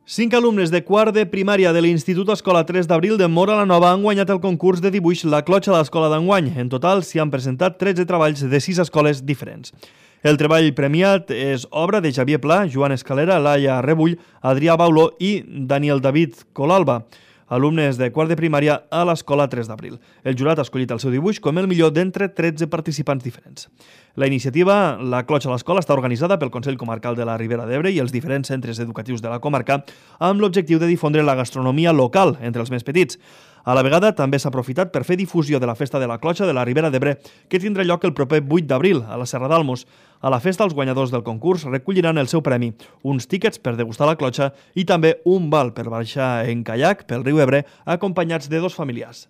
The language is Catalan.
5 alumnes de quart de primària de l'Institut Escola 3 d'Abril de Móra la Nova han guanyat el concurs de dibuix La Clotxa de l'Escola d'enguany. En total s'hi han presentat 13 treballs de 6 escoles diferents. El treball premiat és obra de Xavier Pla, Joan Escalera, Laia Rebull, Adrià Bauló i Daniel David Colalba, alumnes de quart de primària a l'Escola 3 d'Abril. El jurat ha escollit el seu dibuix com el millor d'entre 13 participants diferents. La iniciativa La Clotxa a l'Escola està organitzada pel Consell Comarcal de la Ribera d'Ebre i els diferents centres educatius de la comarca amb l'objectiu de difondre la gastronomia local entre els més petits. A la vegada, també s'ha aprofitat per fer difusió de la Festa de la Clotxa de la Ribera d'Ebre, que tindrà lloc el proper 8 d'abril, a la Serra d'Almos. A la festa, els guanyadors del concurs recolliran el seu premi, uns tíquets per degustar la clotxa i també un val per baixar en caiac pel riu Ebre, acompanyats de 2 familiars.